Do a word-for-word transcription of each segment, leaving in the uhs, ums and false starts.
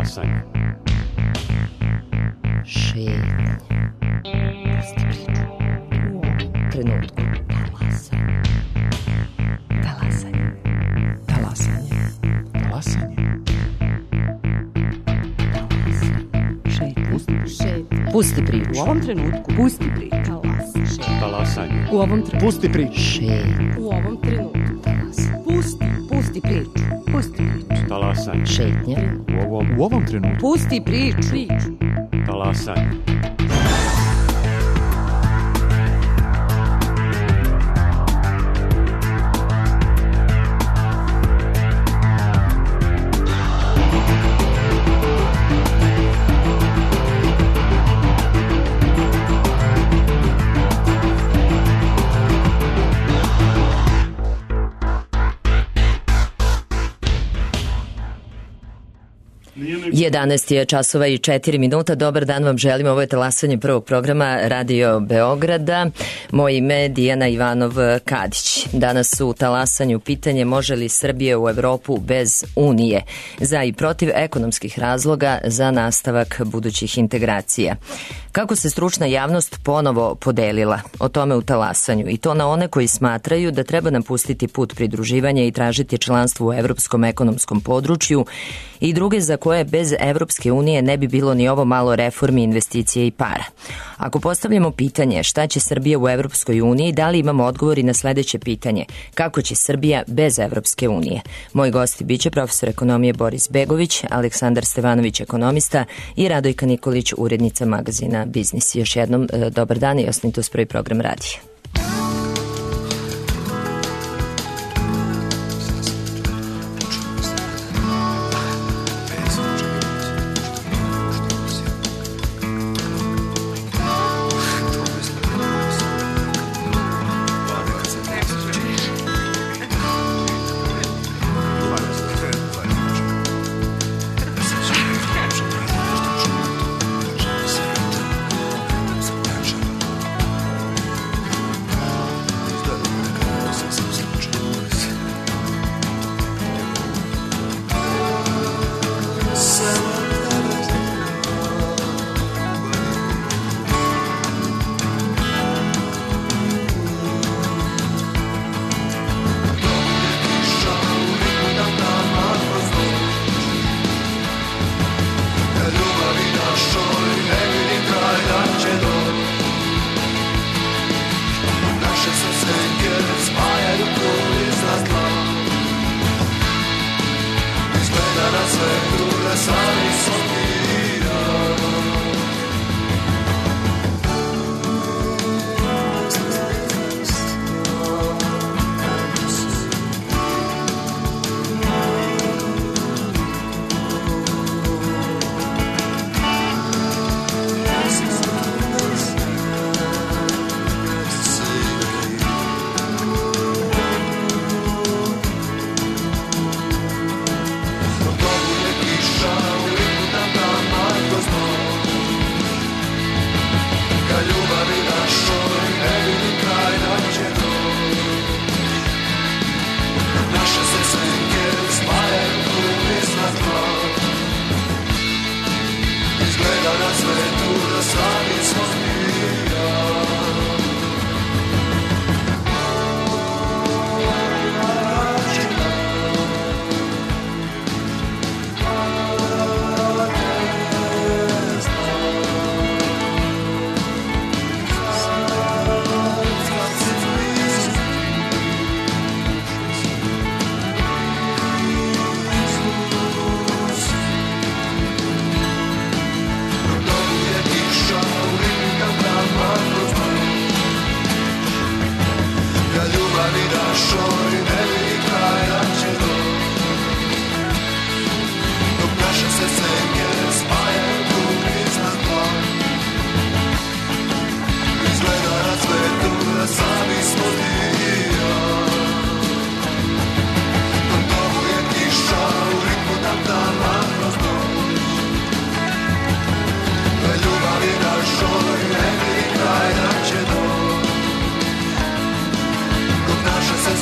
Talasanje. Šetnje. Pusti priču. U ovom trenutku. Talasanje. Talasanje. Talasanje. Talasanje. Šetnje. Pusti priču. U ovom trenutku. Pusti priču. Talasanje. U ovom trenutku. Pusti priču. Šetnje. U ovom trenutku. Pusti. Pusti priču. Pusti priču. Talasanje. Šetnje. U ovom, U ovom trenutku. Pusti priču. Priču. talasanje. jedanaest je časova i četiri minuta. Dobar dan vam želim. Ovo je talasanje prvog programa Radio Beograda. Moje ime je Dijana Ivanov-Kadić. Danas u talasanju pitanje može li Srbija u Evropu bez Unije? Za i protiv ekonomskih razloga za nastavak budućih integracija. Kako se stručna javnost ponovo podelila o tome u talasanju i to na one koji smatraju da treba napustiti put pridruživanja i tražiti članstvo u Evropskom ekonomskom području i druge za koje bez Evropske unije ne bi bilo ni ovo malo reformi, investicije i para. Ako postavljamo pitanje šta će Srbija u Evropskoj uniji, da li imamo odgovor i na sledeće pitanje kako će Srbija bez Evropske unije? Moji gosti biće profesor ekonomije Boris Begović, Aleksandar Stevanović, ekonomista i Radojka Nikolić, urednica magazina Biznis. Još jednom dobar dan i ostanite uz prvi program radija.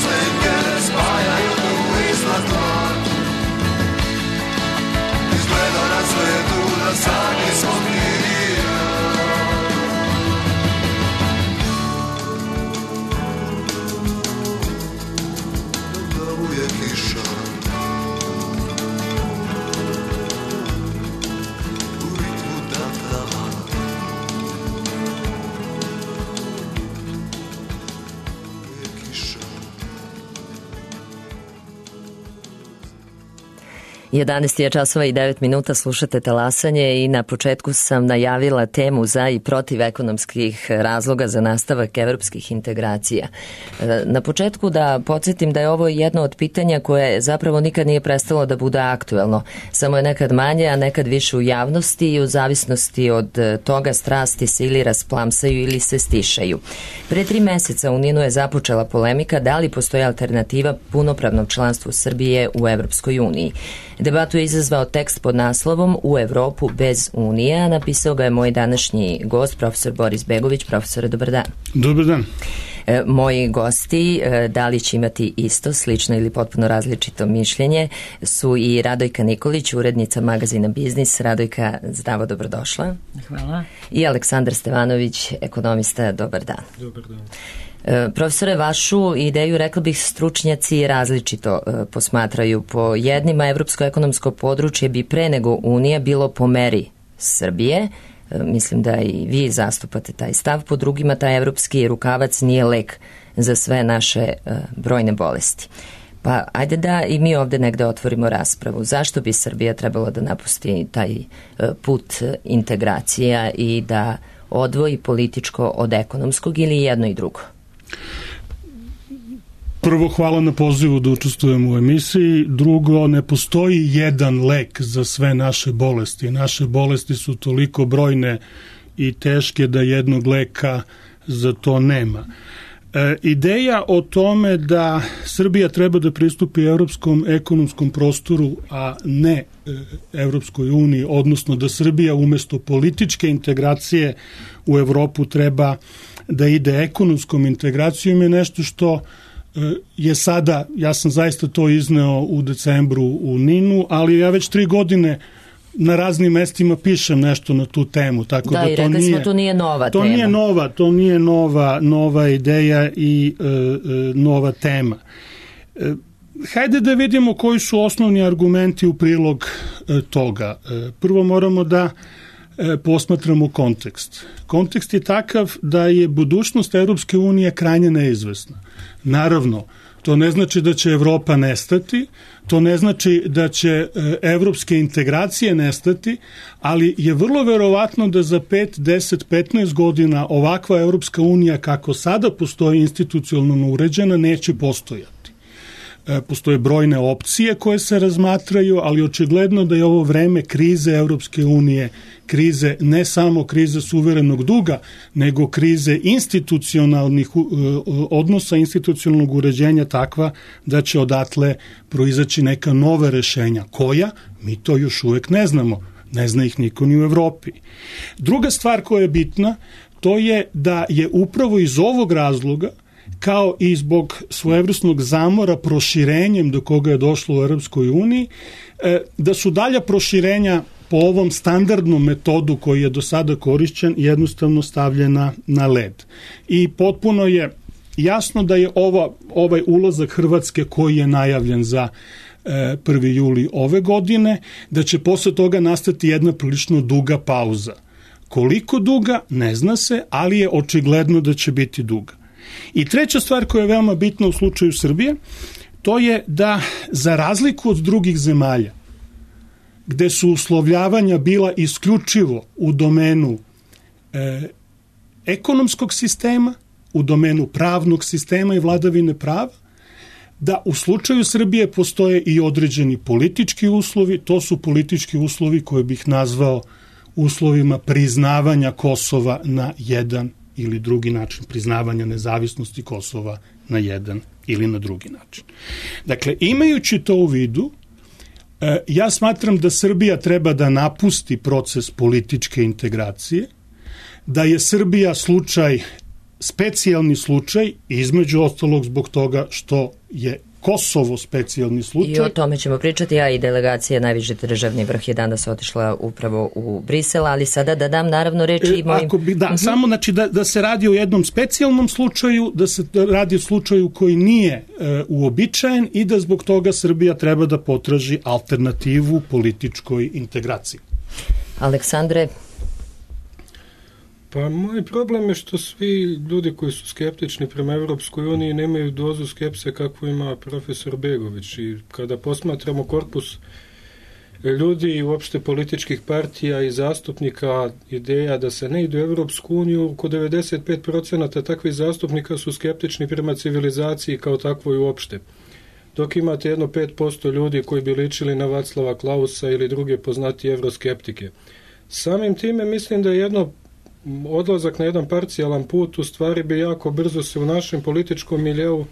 Sing it. jedanaest je časova i devet minuta, slušate Talasanje i na početku sam najavila temu za i protiv ekonomskih razloga za nastavak evropskih integracija. Na početku da podsjetim da je ovo jedno od pitanja koje zapravo nikad nije prestalo da bude aktuelno. Samo je nekad manje, a nekad više u javnosti i u zavisnosti od toga strasti se ili rasplamsaju ili se stišaju. Pre tri meseca u Ninu je započela polemika da li postoji alternativa punopravnom članstvu Srbije u Evropskoj uniji. Debatu je izazvao tekst pod naslovom U Evropu bez Unije, a napisao ga je moj današnji gost, profesor Boris Begović. Profesore, dobar dan. Dobar dan. E, moji gosti, e, da li će imati isto, slično ili potpuno različito mišljenje, su i Radojka Nikolić, urednica magazina Biznis. Radojka, zdravo, dobrodošla. Hvala. I Aleksandar Stevanović, ekonomista. Dobar dan. Dobar dan. E, profesore, vašu ideju, rekla bih, stručnjaci različito e, posmatraju. Po jednima, evropsko ekonomsko područje bi pre nego Unija bilo po meri Srbije. E, mislim da i vi zastupate taj stav. Po drugima, taj evropski rukavac nije lek za sve naše e, brojne bolesti. Pa ajde da i mi ovde negde otvorimo raspravu. Zašto bi Srbija trebalo da napusti taj e, put integracija i da odvoji političko od ekonomskog ili jedno i drugo? Prvo, hvala na pozivu da učestvujem u emisiji. Drugo, ne postoji jedan lek za sve naše bolesti. Naše bolesti su toliko brojne i teške da jednog leka za to nema. E, ideja o tome da Srbija treba da pristupi evropskom ekonomskom prostoru, a ne e, Evropskoj uniji, odnosno da Srbija umesto političke integracije u Evropu treba da ide ekonomskom integracijom, je nešto što je sada, ja sam zaista to izneo u decembru u Ninu, ali ja već tri godine na raznim mestima pišem nešto na tu temu, tako da, da i to rekli nije, smo, to nije nova to tema. Nije nova, to nije nova, nova ideja i e, e, nova tema. E, hajde da vidimo koji su osnovni argumenti u prilog e, toga. E, prvo moramo da e, posmatramo kontekst. Kontekst je takav da je budućnost Evropske unije krajnje neizvesna. Naravno, to ne znači da će Evropa nestati, to ne znači da će evropske integracije nestati, ali je vrlo verovatno da za pet, deset, petnaest godina ovakva Evropska unija kako sada postoji institucionalno uređena neće postojati. Postoje brojne opcije koje se razmatraju, ali očigledno da je ovo vreme krize Evropske unije, krize ne samo krize suverenog duga, nego krize institucionalnih odnosa, institucionalnog uređenja takva da će odatle proizaći neka nova rešenja. Koja? Mi to još uvek ne znamo. Ne zna ih niko ni u Evropi. Druga stvar koja je bitna, to je da je upravo iz ovog razloga, kao i zbog svojevrsnog zamora proširenjem do koga je došlo u Europskoj uniji, da su dalja proširenja po ovom standardnom metodu koji je do sada korišćen jednostavno stavljena na led. I potpuno je jasno da je ova, ovaj ulazak Hrvatske koji je najavljen za prvi juli ove godine, da će posle toga nastati jedna prilično duga pauza. Koliko duga, ne zna se, ali je očigledno da će biti duga. I treća stvar koja je veoma bitna u slučaju Srbije, to je da za razliku od drugih zemalja, gde su uslovljavanja bila isključivo u domenu e, ekonomskog sistema, u domenu pravnog sistema i vladavine prava, da u slučaju Srbije postoje i određeni politički uslovi, to su politički uslovi koje bih nazvao uslovima priznavanja Kosova na jedan ili drugi način, priznavanja nezavisnosti Kosova na jedan ili na drugi način. Dakle, imajući to u vidu, ja smatram da Srbija treba da napusti proces političke integracije, da je Srbija slučaj, specijalni slučaj, između ostalog zbog toga što je Kosovo specijalni slučaj. I o tome ćemo pričati, a i delegacija najviši državni vrh je danas otišla upravo u Brisel, ali sada da dam naravno reči i mojim... Ako bi, da, uh-huh. samo znači da, da se radi o jednom specijalnom slučaju, da se radi o slučaju koji nije e, uobičajen i da zbog toga Srbija treba da potraži alternativu političkoj integraciji. Aleksandre? Pa moj problem je što svi ljudi koji su skeptični prema Evropskoj uniji nemaju dozu skepse kakvu ima profesor Begović i kada posmatramo korpus ljudi i uopšte političkih partija i zastupnika ideja da se ne ide u Evropsku uniju, oko devedeset pet procenata takvih zastupnika su skeptični prema civilizaciji kao takvoj uopšte. Dok imate jedno pet posto ljudi koji bi ličili na Vaclava Klausa ili druge poznatije evroskeptike. Samim time mislim da je jedno odlazak na jedan parcijalan put u stvari bi jako brzo se u našem političkom miljeu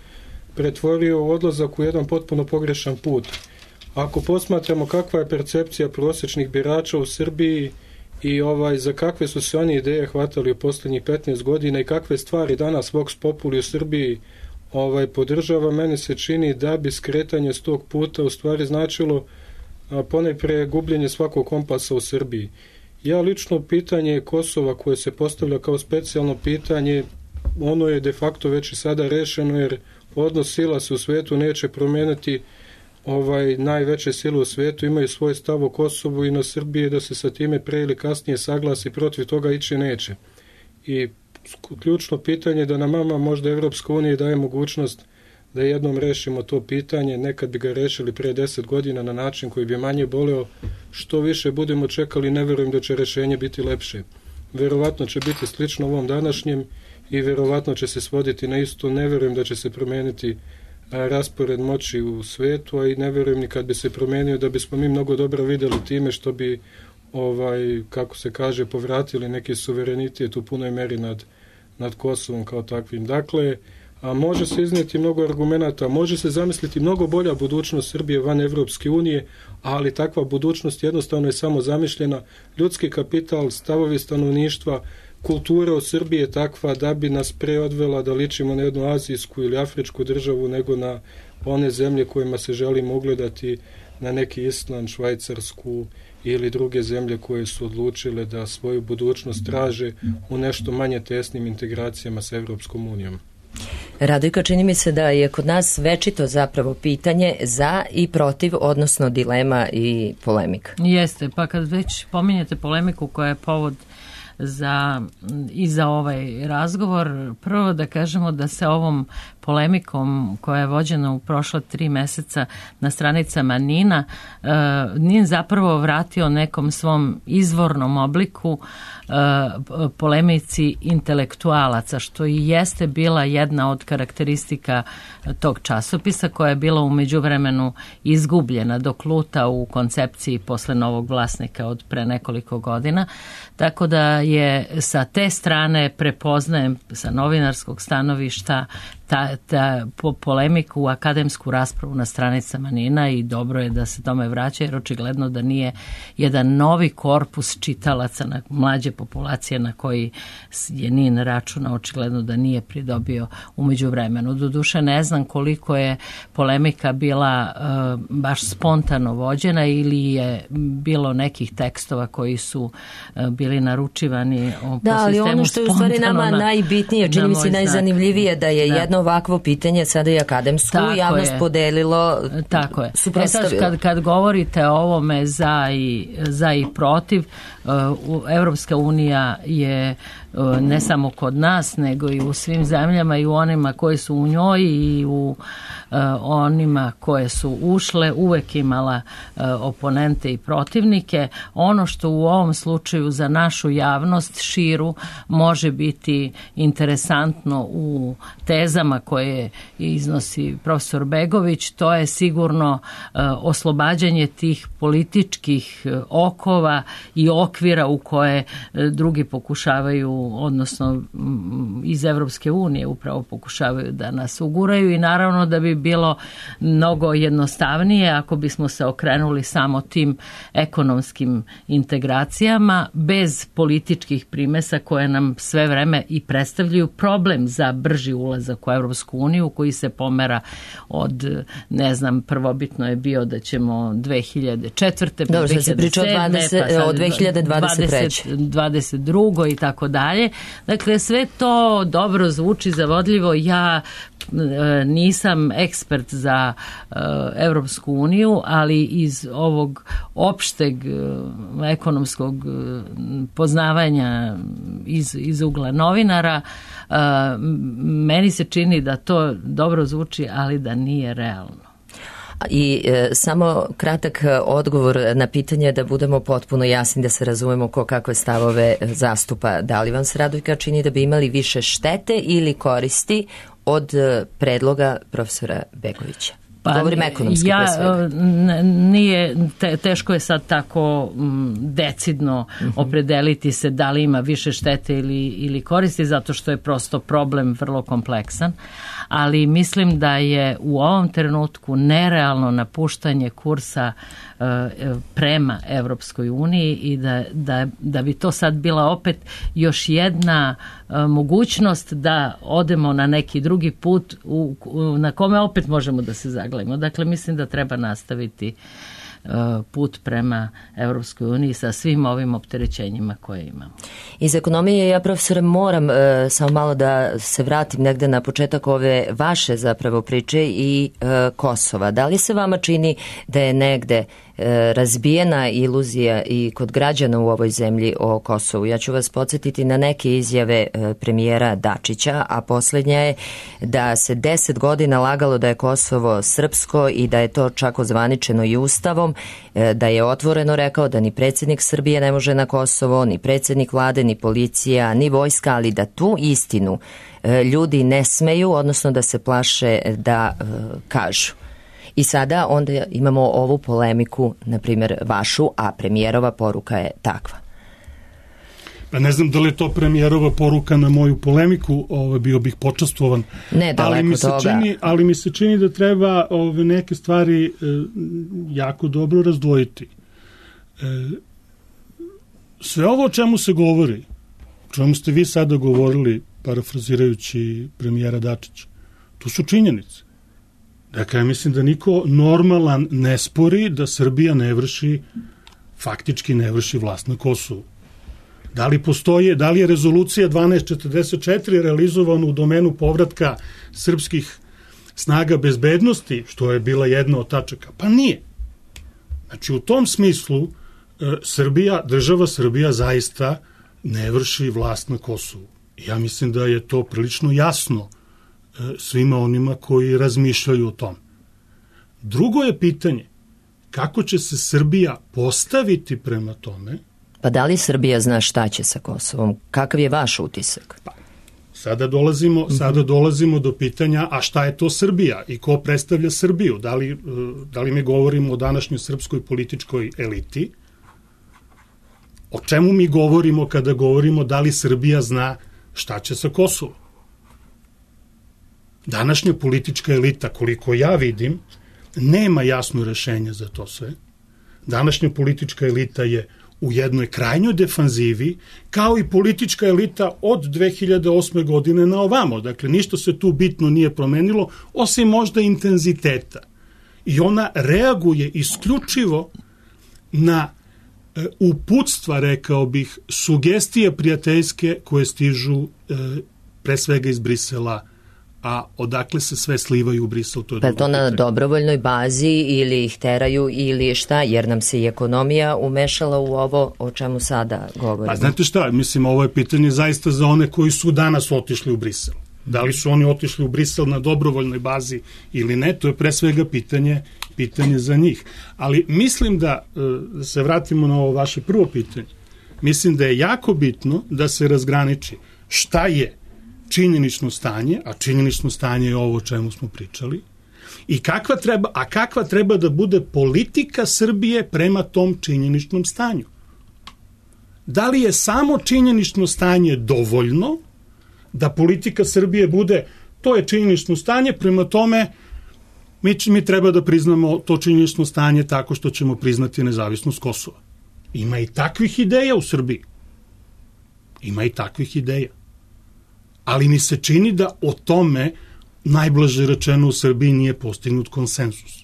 pretvorio u odlazak u jedan potpuno pogrešan put. Ako posmatramo kakva je percepcija prosječnih birača u Srbiji i ovaj za kakve su se oni ideje hvatali u posljednjih petnaest godina i kakve stvari danas Vox Populi u Srbiji ovaj podržava, meni se čini da bi skretanje s tog puta u stvari značilo ponajpre gubljenje svakog kompasa u Srbiji. Ja lično pitanje Kosova koje se postavlja kao specijalno pitanje, ono je de facto već i sada rešeno jer odnos sila se u svetu neće promijeniti. Ovaj, najveće sile u svijetu imaju svoj stav o Kosovu i na Srbiji da se sa time pre ili kasnije saglasi, protiv toga ići neće. I ključno pitanje je da nam mama možda Evropska unija daje mogućnost da jednom rešimo to pitanje, nekad bi ga rešili pre deset godina na način koji bi manje boleo, što više budemo čekali, ne verujem da će rešenje biti lepše. Verovatno će biti slično ovom današnjem i verovatno će se svoditi na isto, ne verujem da će se promeniti raspored moći u svetu, a i ne verujem ni kad bi se promenio da bismo mi mnogo dobro videli time što bi, ovaj, kako se kaže, povratili neki suverenitet u punoj meri nad, nad Kosovom kao takvim. Dakle, a može se iznijeti mnogo argumenata, može se zamisliti mnogo bolja budućnost Srbije van Evropske unije, ali takva budućnost jednostavno je samo zamišljena. Ljudski kapital, stavovi stanovništva, kultura u Srbiji je takva da bi nas pre odvela da ličimo na jednu azijsku ili afričku državu nego na one zemlje kojima se želimo ugledati, na neki Island, Švajcarsku ili druge zemlje koje su odlučile da svoju budućnost traže u nešto manje tesnim integracijama sa Evropskom unijom. Radojka, čini mi se da je kod nas večito zapravo pitanje za i protiv, odnosno dilema i polemika. Jeste, pa kad već pominjete polemiku koja je povod za, i za ovaj razgovor, prvo da kažemo da se ovom polemikom koja je vođena u prošla tri meseca na stranicama Nina, uh, Nin zapravo vratio nekom svom izvornom obliku uh, polemici intelektualaca, što i jeste bila jedna od karakteristika tog časopisa koja je bila u međuvremenu izgubljena dok luta u koncepciji posle novog vlasnika od pre nekoliko godina. Tako da je sa te strane prepoznajem sa novinarskog stanovišta ta, ta po, polemiku u akademsku raspravu na stranicama Nina i dobro je da se tome vraća jer očigledno da nije jedan novi korpus čitalaca na mlađe populacije na koji je Nin računa, očigledno da nije pridobio umeđu vremenu. Doduše ne znam koliko je polemika bila uh, baš spontano vođena ili je bilo nekih tekstova koji su uh, bili naručivani po da, ali ono što je u stvari nama na, najbitnije, čini mi se najzanimljivije da je da. jedno ovakvo pitanje sada i akademsku tako javnost je. podelilo, tako je. E sad, kad, kad govorite o ovome za i, za i protiv, uh, Evropska unija je uh, ne samo kod nas, nego i u svim zemljama i u onima koji su u njoj i u uh, onima koje su ušle, uvek imala uh, oponente i protivnike. Ono što u ovom slučaju za našu javnost širu može biti interesantno u tezama koje iznosi profesor Begović, to je sigurno uh, oslobađanje tih političkih uh, okova i okvira u koje uh, drugi pokušavaju, odnosno um, iz Evropske unije upravo pokušavaju da nas uguraju i naravno da bi bilo mnogo jednostavnije ako bismo se okrenuli samo tim ekonomskim integracijama bez političkih primesa koje nam sve vreme i predstavljaju problem za brži ulazak u Evropsku uniju koji se pomera od, ne znam, prvobitno je bio da ćemo dve hiljade četvrte pa Dobro, dve hiljade sedme pa od dve hiljade dvadeset treće dvadeset drugo i tako dalje. Dakle, sve to dobro zvuči zavodljivo. Ja nisam ekspert za uh, Evropsku uniju, ali iz ovog opšteg uh, ekonomskog uh, poznavanja iz, iz ugla novinara, uh, meni se čini da to dobro zvuči, ali da nije realno. I e, samo kratak odgovor na pitanje da budemo potpuno jasni, da se razumemo ko kakve stavove zastupa. Da li vam se, Radojka, čini da bi imali više štete ili koristi od predloga profesora Begovića? Pa, govorim ekonomski ja, pre svega. Nije, te, teško je sad tako m, decidno uh-huh. opredeliti se da li ima više štete ili, ili koristi, zato što je prosto problem vrlo kompleksan, ali mislim da je u ovom trenutku nerealno napuštanje kursa uh, prema Evropskoj uniji i da, da, da bi to sad bila opet još jedna uh, mogućnost da odemo na neki drugi put u, u, na kome opet možemo da se zagledamo. Dakle, mislim da treba nastaviti uh, put prema Evropskoj uniji sa svim ovim opterećenjima koje imamo. Iz ekonomije ja, profesore, moram uh, samo malo da se vratim negde na početak ove vaše zapravo priče i uh, Kosova. Da li se vama čini da je negde razbijena iluzija i kod građana u ovoj zemlji o Kosovu? Ja ću vas podsjetiti na neke izjave premijera Dačića, a posljednja je da se deset godina lagalo da je Kosovo srpsko i da je to čak ozvaničeno i ustavom, da je otvoreno rekao da ni predsjednik Srbije ne može na Kosovo, ni predsjednik vlade, ni policija, ni vojska, ali da tu istinu ljudi ne smeju, odnosno da se plaše da kažu. I sada onda imamo ovu polemiku, na primjer vašu, a premijerova poruka je takva. Pa ne znam da li je to premijerova poruka na moju polemiku, ovo, bio bih počastvovan. Ne, daleko ali mi se toga. Čini, ali mi se čini da treba ove neke stvari e, jako dobro razdvojiti. E, sve ovo o čemu se govori, o čemu ste vi sada govorili, parafrazirajući premijera Dačića, to su činjenice. Dakle, ja mislim da niko normalan ne spori da Srbija ne vrši, faktički ne vrši vlast na Kosovu. Da li postoje, da li je rezolucija dvanaest četrdeset četiri realizovana u domenu povratka srpskih snaga bezbednosti, što je bila jedna od tačaka? Pa nije. Znači, u tom smislu Srbija, država Srbija zaista ne vrši vlast na Kosovu. Ja mislim da je to prilično jasno svima onima koji razmišljaju o tom. Drugo je pitanje, kako će se Srbija postaviti prema tome? Pa da li Srbija zna šta će sa Kosovom? Kakav je vaš utisak? Pa, sada dolazimo, mm-hmm. sada dolazimo do pitanja, a šta je to Srbija i ko predstavlja Srbiju? Da li, da li mi govorimo o današnjoj srpskoj političkoj eliti? O čemu mi govorimo kada govorimo da li Srbija zna šta će sa Kosovom? Današnja politička elita, koliko ja vidim, nema jasno rešenje za to sve. Današnja politička elita je u jednoj krajnjoj defanzivi, kao i politička elita od dve hiljade osme godine na ovamo. Dakle, ništa se tu bitno nije promenilo, osim možda intenziteta. I ona reaguje isključivo na e, uputstva, rekao bih, sugestije prijateljske koje stižu e, pre svega iz Brisela, a odakle se sve slivaju u Brisel, to je pa to na dobrovoljnoj bazi ili ih teraju ili šta, jer nam se i ekonomija umešala u ovo o čemu sada govorimo. Pa znate šta, mislim, ovo je pitanje zaista za one koji su danas otišli u Brisel. Da li su oni otišli u Brisel na dobrovoljnoj bazi ili ne, to je pre svega pitanje, pitanje za njih. Ali mislim da, da se vratimo na ovo vaše prvo pitanje, mislim da je jako bitno da se razgraniči šta je činjenično stanje, a činjenično stanje je ovo o čemu smo pričali, i kakva treba, a kakva treba da bude politika Srbije prema tom činjeničnom stanju. Da li je samo činjenično stanje dovoljno da politika Srbije bude, to je činjenično stanje, prema tome mi, mi treba da priznamo to činjenično stanje tako što ćemo priznati nezavisnost Kosova. Ima i takvih ideja u Srbiji. Ima i takvih ideja. Ali mi se čini da o tome, najblaže rečeno, u Srbiji nije postignut konsenzus.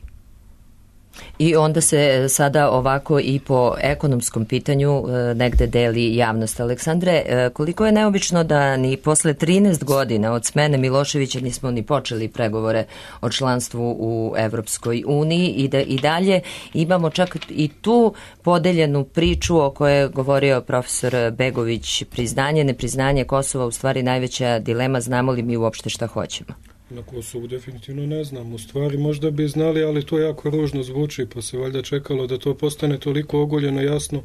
I onda se sada ovako i po ekonomskom pitanju negde deli javnost. Aleksandre, koliko je neobično da ni posle trinaest godina od smene Miloševića nismo ni počeli pregovore o članstvu u Evropskoj uniji i da i dalje imamo čak i tu podeljenu priču o kojoj je govorio profesor Begović, priznanje, nepriznanje Kosova, u stvari najveća dilema, znamo li mi uopšte šta hoćemo? Na Kosovu definitivno ne znam. U stvari možda bi znali, ali to jako ružno zvuči, pa se valjda čekalo da to postane toliko ogoljeno jasno,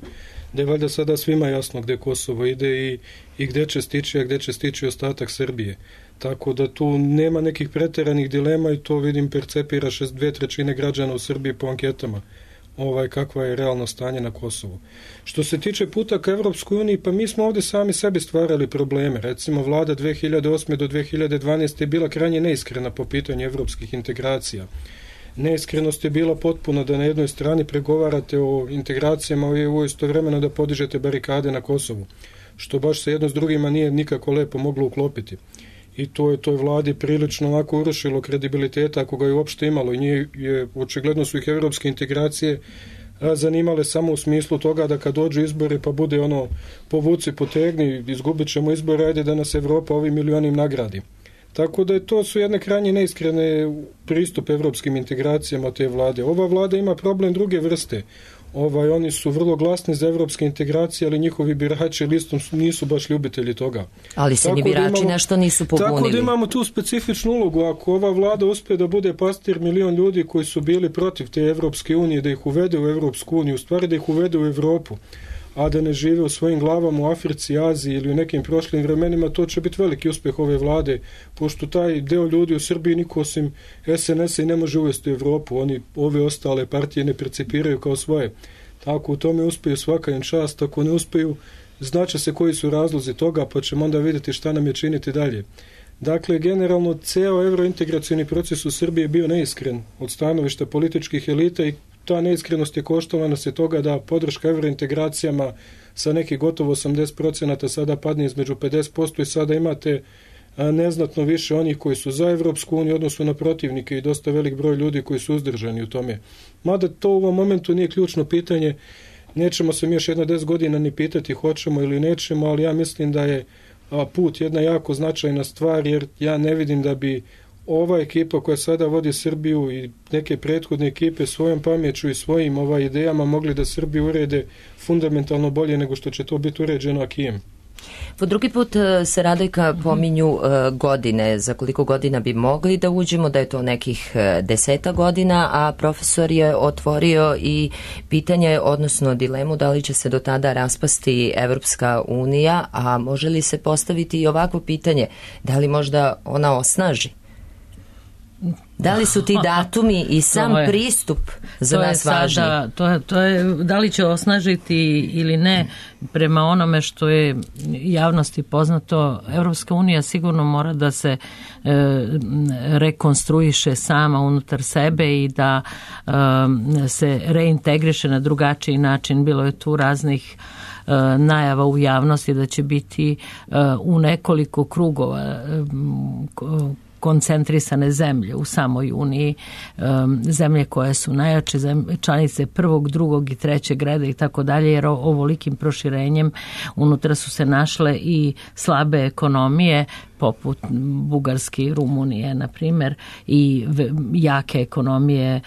da je valjda sada svima jasno gde Kosovo ide i, i gde će stići, a gde će stići ostatak Srbije. Tako da tu nema nekih preteranih dilema i to vidim percepira šest, dve trećine građana u Srbiji po anketama. Ovaj, kakva je realno stanje na Kosovu. Što se tiče puta ka Evropskoj uniji, pa mi smo ovde sami sebi stvarali probleme. Recimo, vlada dve hiljade osme do dve hiljade dvanaeste je bila krajnje neiskrena po pitanju evropskih integracija. Neiskrenost je bila potpuno da na jednoj strani pregovarate o integracijama u E U istovremeno da podižete barikade na Kosovu, što baš se jedno s drugima nije nikako lepo moglo uklopiti. I to je toj vladi prilično ovako urušilo kredibiliteta ako ga je uopšte imalo i nije, je, očigledno su ih evropske integracije zanimale samo u smislu toga da kad dođu izbori pa bude ono povuci, potegni, izgubit ćemo izbore, ajde da nas Evropa ovim milionim nagradi. Tako da je to su jedne krajnje neiskrene pristup evropskim integracijama te vlade. Ova vlada ima problem druge vrste. Ovaj, oni su vrlo glasni za evropske integracije, ali njihovi birači listom nisu baš ljubitelji toga. Ali se ni birači da imamo, nešto nisu pobunili. Tako da imamo tu specifičnu ulogu. Ako ova vlada uspe da bude pastir milion ljudi koji su bili protiv te Evropske unije, da ih uvede u Evropsku uniju, u stvari da ih uvede u Evropu, a da ne žive u svojim glavama u Africi, Aziji ili u nekim prošlim vremenima, to će biti veliki uspeh ove vlade, pošto taj deo ljudi u Srbiji niko osim S N S-a i ne može uvesti u Evropu. Oni ove ostale partije ne percipiraju kao svoje. Tako u tome uspeju svaka im čast, ako ne uspeju, znaće se koji su razlozi toga, pa ćemo onda vidjeti šta nam je činiti dalje. Dakle, generalno, ceo evrointegracioni proces u Srbiji je bio neiskren od stanovišta političkih elita i ta neiskrenost je koštala nas je toga da podrška evrointegracijama sa nekih gotovo osamdeset procenata sada padne između pedeset posto i sada imate neznatno više onih koji su za Evropsku uniju odnosno na protivnike i dosta velik broj ljudi koji su uzdržani u tome. Mada to u ovom momentu nije ključno pitanje, nećemo se mi još jedna deset godina ni pitati hoćemo ili nećemo, ali ja mislim da je put jedna jako značajna stvar, jer ja ne vidim da bi ova ekipa koja sada vodi Srbiju i neke prethodne ekipe svojom pameću i svojim ovaj idejama mogli da Srbiju urede fundamentalno bolje nego što će to biti uređeno akijem. Po drugi put se, Radojka, pominju godine, za koliko godina bi mogli da uđemo, da je to nekih deseta godina, a profesor je otvorio i pitanje, odnosno dilemu, da li će se do tada raspasti Evropska unija, a može li se postaviti i ovakvo pitanje, da li možda ona osnaži? Da li su ti datumi i sam je, pristup za nas važni? Sada, to, je, to je, da li će osnažiti ili ne, prema onome što je javnosti poznato, Evropska unija sigurno mora da se e, rekonstruiše sama unutar sebe i da e, se reintegriše na drugačiji način. Bilo je tu raznih e, najava u javnosti da će biti e, u nekoliko krugova e, koncentrisane zemlje u samoj Uniji, zemlje koje su najjače, članice prvog, drugog i trećeg reda i tako dalje, jer ovolikim proširenjem unutra su se našle i slabe ekonomije, poput Bugarske i Rumunije, na primjer, i jake ekonomije,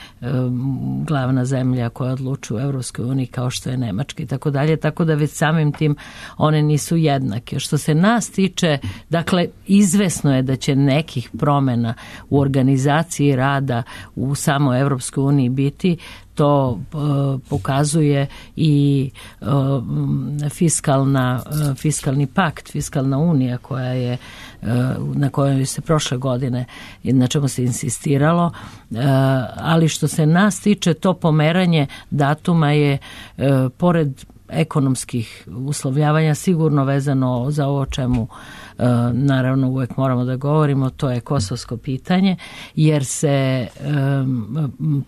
glavna zemlja koja odlučuje u Evropskoj uniji kao što je Nemačka i tako dalje, tako da već samim tim one nisu jednake. Što se nas tiče, dakle, izvesno je da će nekih promjena u organizaciji rada u samoj Evropskoj uniji biti. To uh, pokazuje i uh, fiskalna, uh, fiskalni pakt, fiskalna unija koja je, uh, na kojoj se prošle godine, na čemu se insistiralo, uh, ali što se nas tiče, to pomeranje datuma je uh, pored ekonomskih uslovljavanja sigurno vezano za ovo čemu e, naravno uvek moramo da govorimo, to je kosovsko pitanje, jer se e,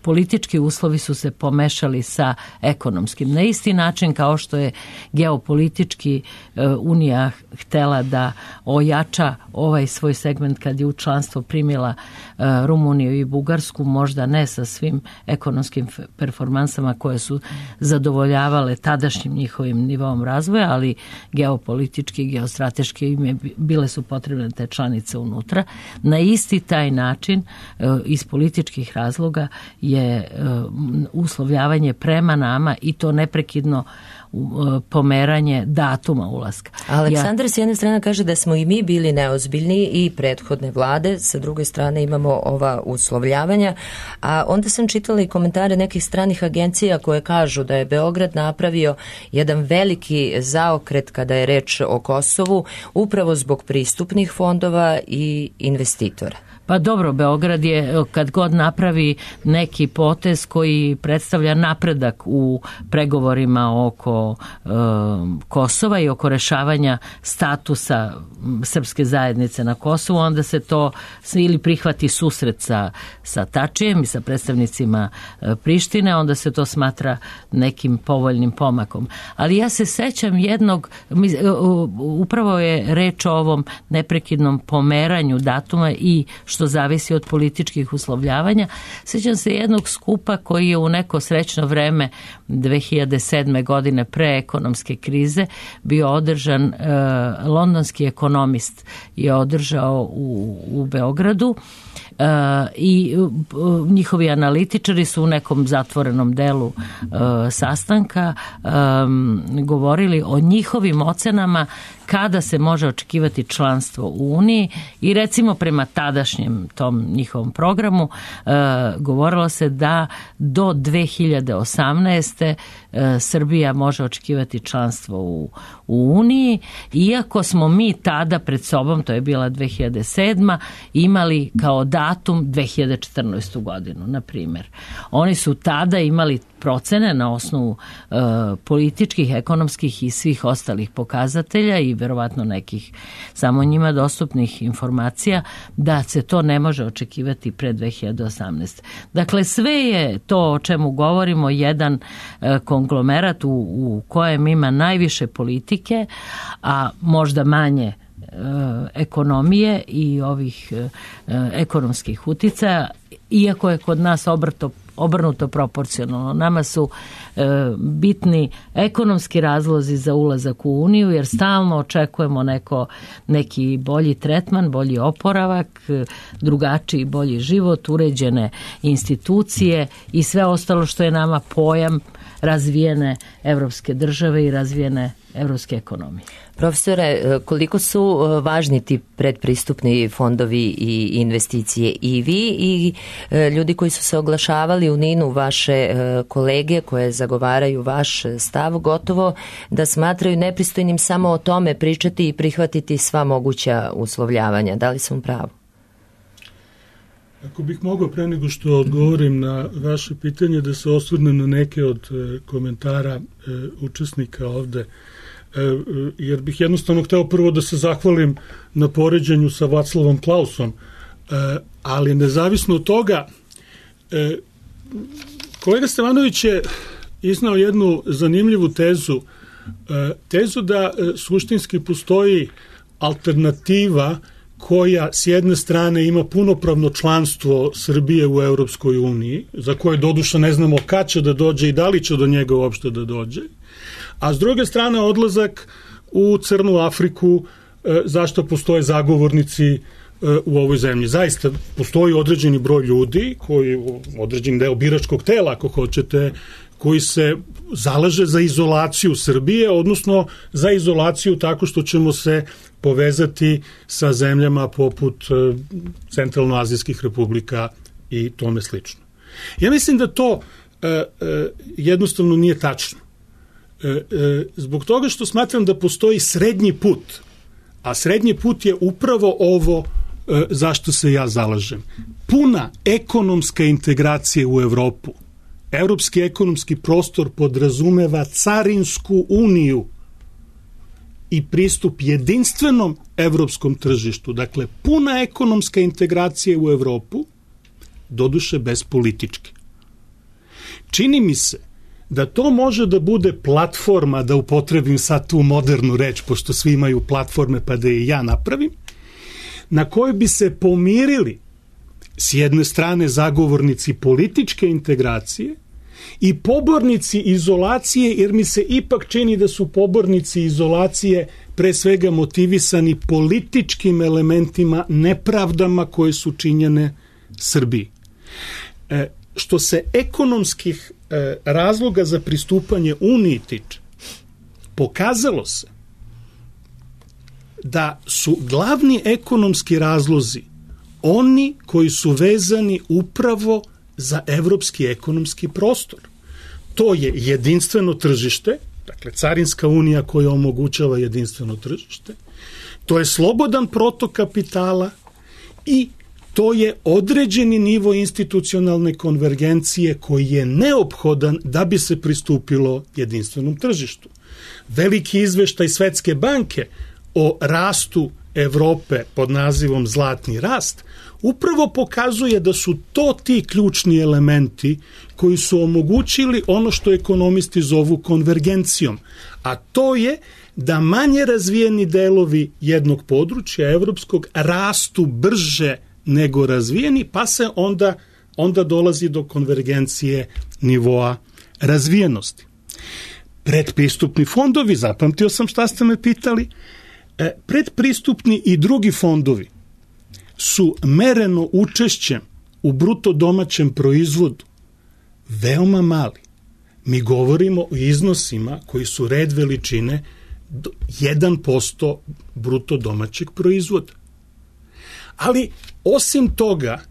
politički uslovi su se pomešali sa ekonomskim. Na isti način kao što je geopolitički e, Unija htela da ojača ovaj svoj segment kad je u članstvo primila e, Rumuniju i Bugarsku, možda ne sa svim ekonomskim performansama koje su zadovoljavale tadašnjim njihovim nivom razvoja, ali geopolitički, geostrateški im je, bile su potrebne te članice unutra. Na isti taj način iz političkih razloga je uslovljavanje prema nama i to neprekidno pomeranje datuma ulaska. Aleksandar ja, s jedne strane kaže da smo i mi bili neozbiljni i prethodne vlade, sa druge strane imamo ova uslovljavanja, a onda sam čitala i komentare nekih stranih agencija koje kažu da je Beograd napravio jedan veliki zaokret kada je reč o Kosovu, upravo zbog pristupnih fondova i investitora. Pa dobro, Beograd je kad god napravi neki potez koji predstavlja napredak u pregovorima oko e, Kosova i oko rešavanja statusa srpske zajednice na Kosovu, onda se to ili prihvati susret sa, sa Tačijem i sa predstavnicima e, Prištine, onda se to smatra nekim povoljnim pomakom. Ali ja se sećam jednog, mi, e, upravo je reč o ovom neprekidnom pomeranju datuma i što zavisi od političkih uslovljavanja. Sjećam se jednog skupa koji je u neko srećno vreme dve hiljade sedme godine pre ekonomske krize bio održan, e, londonski ekonomist je održao u, u Beogradu. Uh, i uh, njihovi analitičari su u nekom zatvorenom delu uh, sastanka um, govorili o njihovim ocenama kada se može očekivati članstvo u Uniji i recimo prema tadašnjem tom njihovom programu uh, govorilo se da do dve hiljade osamnaeste. Uh, Srbija može očekivati članstvo u, u Uniji, iako smo mi tada pred sobom, to je bila dve hiljade sedma. imali kao datum dve hiljade četrnaestu. godinu, na primjer. Oni su tada imali procene na osnovu uh, političkih, ekonomskih i svih ostalih pokazatelja i verovatno nekih samo njima dostupnih informacija da se to ne može očekivati pre dve hiljade osamnaeste. Dakle, sve je to o čemu govorimo jedan uh, konglomerat u, u kojem ima najviše politike, a možda manje ekonomije i ovih ekonomskih uticaja, iako je kod nas obrto, obrnuto proporcionalno. Nama su e, bitni ekonomski razlozi za ulazak u Uniju, jer stalno očekujemo neko, neki bolji tretman, bolji oporavak, drugačiji bolji život, uređene institucije i sve ostalo što je nama pojam razvijene evropske države i razvijene evropske ekonomije. Profesore, koliko su važni ti predpristupni fondovi i investicije i vi i ljudi koji su se oglašavali u Ninu, vaše kolege koje zagovaraju vaš stav, gotovo da smatraju nepristojnim samo o tome pričati i prihvatiti sva moguća uslovljavanja. Da li sam u pravu? Ako bih mogao pre nego što odgovorim na vaše pitanje da se osvrnem na neke od komentara učesnika ovde, jer bih jednostavno hteo prvo da se zahvalim na poređenju sa Vaclavom Klausom, ali nezavisno od toga, kolega Stevanović je iznao jednu zanimljivu tezu, tezu da suštinski postoji alternativa koja s jedne strane ima punopravno članstvo Srbije u Europskoj uniji, za koje doduše ne znamo kad će da dođe i da li će do njega uopšte da dođe, a s druge strane odlazak u Crnu Afriku, zašto postoje zagovornici u ovoj zemlji. Zaista postoji određeni broj ljudi, koji, određeni deo biračkog tela, ako hoćete, koji se zalaže za izolaciju Srbije, odnosno za izolaciju tako što ćemo se povezati sa zemljama poput centralnoazijskih republika i tome slično. Ja mislim da to e, e, jednostavno nije tačno. E, e, zbog toga što smatram da postoji srednji put, a srednji put je upravo ovo e, zašto se ja zalažem. Puna ekonomska integracija u Evropu. Evropski ekonomski prostor podrazumeva carinsku uniju i pristup jedinstvenom evropskom tržištu. Dakle, puna ekonomska integracija u Evropu, doduše bez političke. Čini mi se da to može da bude platforma, da upotrebim sad tu modernu reč, pošto svi imaju platforme pa da i ja napravim, na kojoj bi se pomirili s jedne strane zagovornici političke integracije i pobornici izolacije, jer mi se ipak čini da su pobornici izolacije pre svega motivisani političkim elementima, nepravdama koje su činjene Srbiji. E, što se ekonomskih e, razloga za pristupanje Uniji tiče, pokazalo se da su glavni ekonomski razlozi oni koji su vezani upravo za evropski ekonomski prostor. To je jedinstveno tržište, dakle carinska unija koja omogućava jedinstveno tržište, to je slobodan protok kapitala i to je određeni nivo institucionalne konvergencije koji je neophodan da bi se pristupilo jedinstvenom tržištu. Veliki izveštaj Svetske banke o rastu Evrope pod nazivom Zlatni rast upravo pokazuje da su to ti ključni elementi koji su omogućili ono što ekonomisti zovu konvergencijom, a to je da manje razvijeni delovi jednog područja evropskog rastu brže nego razvijeni, pa se onda, onda dolazi do konvergencije nivoa razvijenosti. Predpristupni fondovi, zapamtio sam šta ste me pitali, predpristupni i drugi fondovi su mereno učešćem u bruto domaćem proizvodu veoma mali. Mi govorimo o iznosima koji su red veličine jedan posto bruto domaćeg proizvoda. Ali osim toga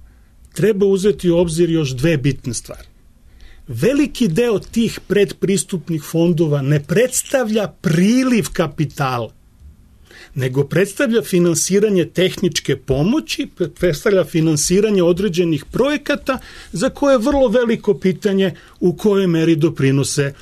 treba uzeti u obzir još dve bitne stvari. Veliki deo tih predpristupnih fondova ne predstavlja priliv kapitala, nego predstavlja finansiranje tehničke pomoći, predstavlja finansiranje određenih projekata za koje je vrlo veliko pitanje u kojoj meri doprinose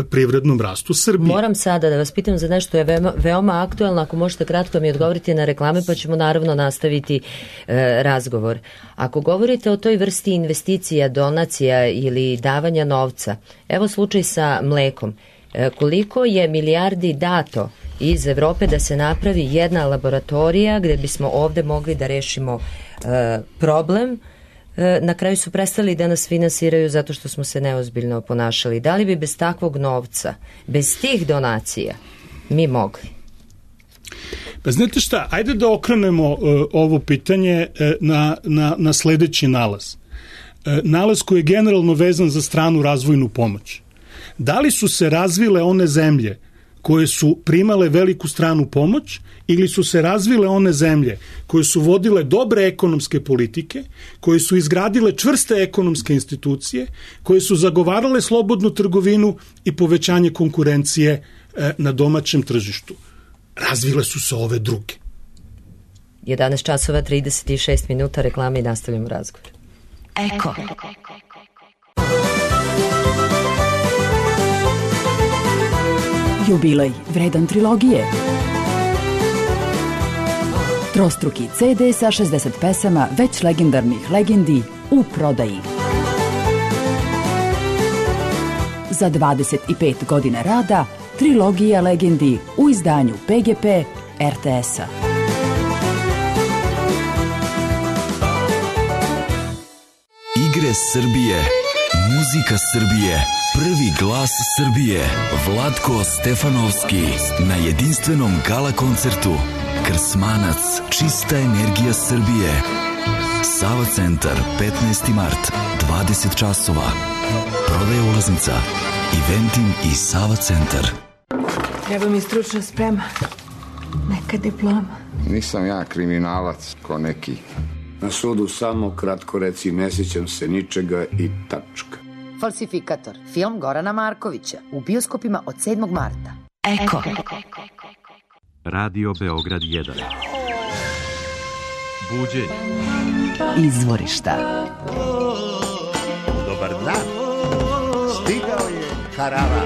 privrednom rastu Srbije. Moram sada da vas pitam za nešto je veoma, veoma aktualno, ako možete kratko mi odgovoriti na reklame, pa ćemo naravno nastaviti e, razgovor. Ako govorite o toj vrsti investicija, donacija ili davanja novca, evo slučaj sa mlekom. E, koliko je milijardi dato iz Evrope da se napravi jedna laboratorija gde bismo ovde mogli da rešimo e, problem, e, na kraju su prestali da nas finansiraju zato što smo se neozbiljno ponašali. Da li bi bez takvog novca, bez tih donacija mi mogli? Pa znate šta, ajde da okrenemo uh, ovo pitanje uh, na, na, na sledeći nalaz. Uh, nalaz koji je generalno vezan za stranu razvojnu pomoć. Da li su se razvile one zemlje koje su primale veliku stranu pomoć ili su se razvile one zemlje koje su vodile dobre ekonomske politike, koje su izgradile čvrste ekonomske institucije, koje su zagovarale slobodnu trgovinu i povećanje konkurencije uh, na domaćem tržištu? Razvile su se ove druge. jedanaest časova trideset šest minuta, reklame i nastavljamo razgovor. Eko. Jubilej vredan trilogije. Trostruki ce de sa šezdeset pesama već legendarnih legendi u prodaji. Za dvadeset pet godina rada trilogija legendi u izdanju pe ge pe er te es-a. Igre Srbije, muzika Srbije, prvi glas Srbije, Vlatko Stefanovski na jedinstvenom gala koncertu. Krsmanac, čista energija Srbije. Sava centar, petnaesti mart, dvadeset časova. Prodaje ulaznica, Eventim i Sava centar. Treba mi stručna sprema, neka diploma. Nisam ja kriminalac ko neki. Na sudu samo kratko reci ne sjećam se ničega i tačka. Falsifikator, film Gorana Markovića, u bioskopima od sedmog marta. Eko. Radio Beograd jedan. Buđenje. Izvorišta. Dobar dan. Stigao je Karava.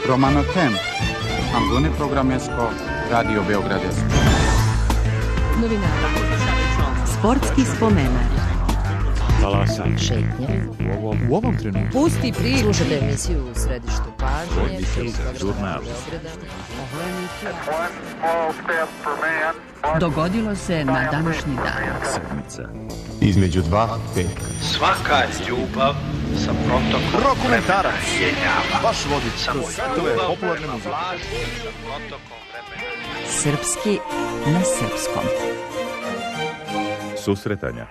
Romano Tem. Ambune programesko Radio Beograd. Novinara. Sportski spomenar. Talasanje. Šetnje. U ovom, u ovom trenutku. Pusti priču. Slušate emisiju u središtu pažnje. Žurnal. Dogodilo se na današnji dan. Sedmica. Između dva petka. Svaka ljubav sa protokom Rokomentarac. jenjava. Baš vodič. Samo To je popularna muzika. sa protokom vremena. Srpski na srpskom. Susretanja.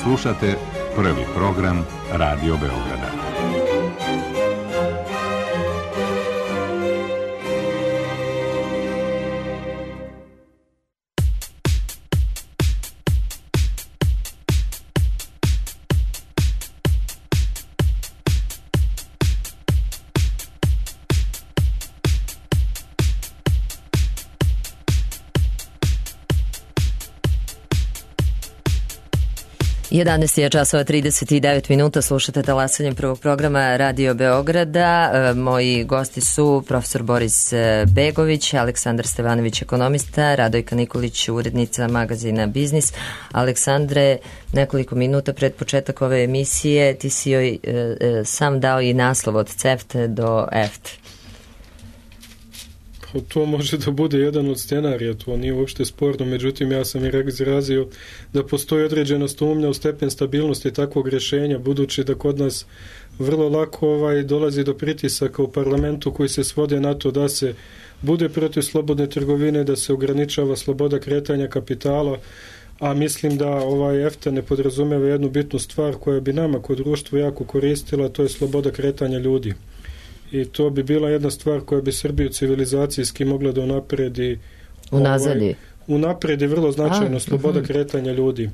Slušate prvi program Radio Beograda. jedanaest je časova trideset devet minuta, slušate talasanje prvog programa Radio Beograda. Moji gosti su profesor Boris Begović, Aleksandar Stevanović, ekonomista, Radojka Nikolić, urednica magazina Biznis. Aleksandre, nekoliko minuta pred početak ove emisije ti si joj e, e, sam dao i naslov od CEFTA do EFTA. To može da bude jedan od scenarija, to nije uopšte sporno, međutim ja sam i izrazio da postoji određena sumnja u stepen stabilnosti takvog rješenja, budući da kod nas vrlo lako ovaj dolazi do pritisaka u parlamentu koji se svode na to da se bude protiv slobodne trgovine, da se ograničava sloboda kretanja kapitala, a mislim da ovaj EFTA ne podrazumeva jednu bitnu stvar koja bi nama kod društva jako koristila, to je sloboda kretanja ljudi. I to bi bila jedna stvar koja bi Srbiju civilizacijski mogla da unapredi unazadi. Ovaj, unapredi vrlo značajno a, sloboda uh-huh. kretanja ljudi.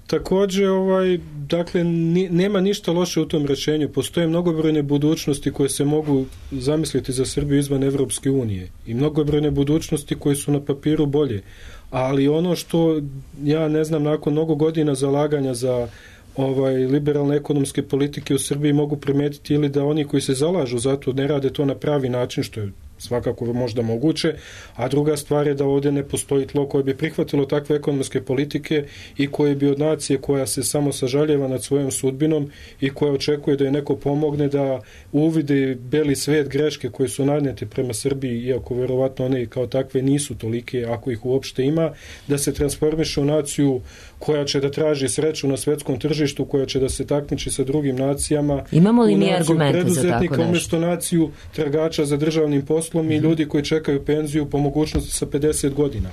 Također, ovaj, dakle, ni, nema ništa loše u tom rješenju. Postoje mnogobrojne budućnosti koje se mogu zamisliti za Srbiju izvan Evropske unije. I mnogobrojne budućnosti koje su na papiru bolje. Ali ono što ja ne znam, nakon mnogo godina zalaganja za ovaj liberalne ekonomske politike u Srbiji mogu primetiti ili da oni koji se zalažu za to ne rade to na pravi način, što je svakako možda moguće, a druga stvar je da ovdje ne postoji tlo koje bi prihvatilo takve ekonomske politike i koje bi od nacije koja se samo sažaljeva nad svojom sudbinom i koja očekuje da je neko pomogne da uvide beli svet greške koje su nanijete prema Srbiji, iako verovatno one kao takve nisu tolike, ako ih uopšte ima, da se transformiše u naciju koja će da traži sreću na svetskom tržištu, koja će da se takmiči sa drugim nacijama. Imamo li mi argumente za tako nešto? Umjesto naciju tragača za državnim poslom i ljudi koji čekaju penziju po mogućnosti sa pedeset godina.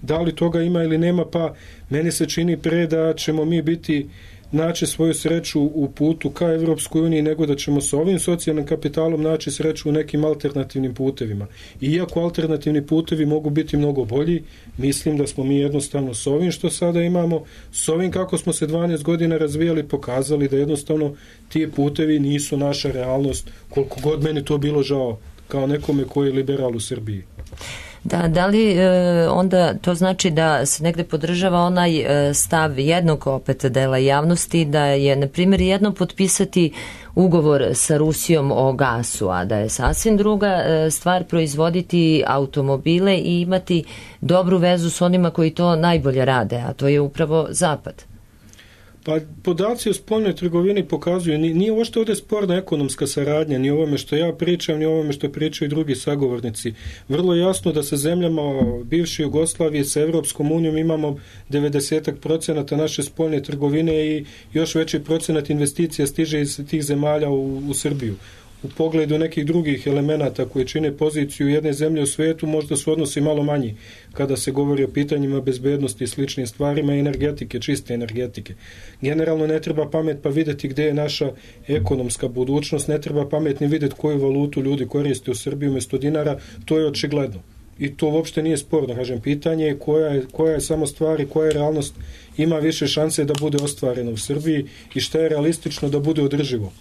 Da li toga ima ili nema, pa meni se čini pre da ćemo mi biti naći svoju sreću u putu ka Evropskoj uniji, nego da ćemo sa ovim socijalnim kapitalom naći sreću u nekim alternativnim putevima. Iako alternativni putevi mogu biti mnogo bolji, mislim da smo mi jednostavno s ovim što sada imamo, s ovim kako smo se dvanaest godina razvijali, pokazali da jednostavno ti putevi nisu naša realnost, koliko god meni to bilo žao kao nekome koji je liberal u Srbiji. Da, da li e, onda to znači da se negde podržava onaj e, stav jednog opet dela javnosti da je, na primjer, jedno potpisati ugovor sa Rusijom o gasu, a da je sasvim druga e, stvar proizvoditi automobile i imati dobru vezu s onima koji to najbolje rade, a to je upravo Zapad? Pa podaci o spoljnoj trgovini pokazuju, nije uopšte ovdje sporna ekonomska saradnja, ni ovome što ja pričam, ni ovome što pričaju drugi sagovornici. Vrlo jasno da sa zemljama bivše Jugoslavije, sa Evropskom unijom imamo devedeset procenata naše spoljne trgovine i još veći procenat investicija stiže iz tih zemalja u, u Srbiju. U pogledu nekih drugih elemenata koji čine poziciju jedne zemlje u svijetu možda su odnosi malo manji kada se govori o pitanjima bezbednosti i sličnim stvarima i energetike, čiste energetike. Generalno ne treba pamet pa vidjeti gdje je naša ekonomska budućnost, ne treba pamet ni vidjeti koju valutu ljudi koriste u Srbiji umjesto dinara, to je očigledno. I to uopšte nije sporno, kažem, pitanje je koja je, koja je samo stvar i koja je realnost ima više šanse da bude ostvarena u Srbiji i šta je realistično da bude održivo.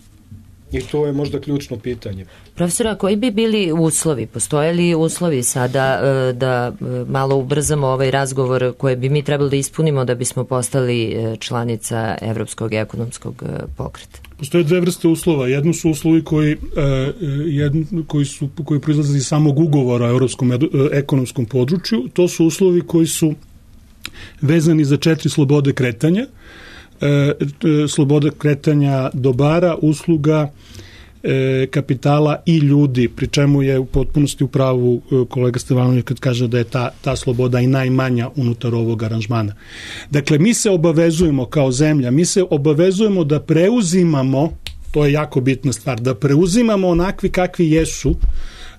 I to je možda ključno pitanje. Profesora, koji bi bili uslovi? Postoje li uslovi sada da malo ubrzamo ovaj razgovor koje bi mi trebali da ispunimo da bismo postali članica Evropskog ekonomskog pokreta? Postoje dve vrste uslova. Jedno su uslovi koji, jedno, koji, su, koji proizlaze iz samog ugovora o Evropskom ekonomskom području. To su uslovi koji su vezani za četiri slobode kretanja. E, sloboda kretanja dobara, usluga, e, kapitala i ljudi, pri čemu je u potpunosti u pravu kolega Stevanović kad kaže da je ta, ta sloboda i najmanja unutar ovog aranžmana. Dakle, mi se obavezujemo kao zemlja, mi se obavezujemo da preuzimamo, to je jako bitna stvar, da preuzimamo onakvi kakvi jesu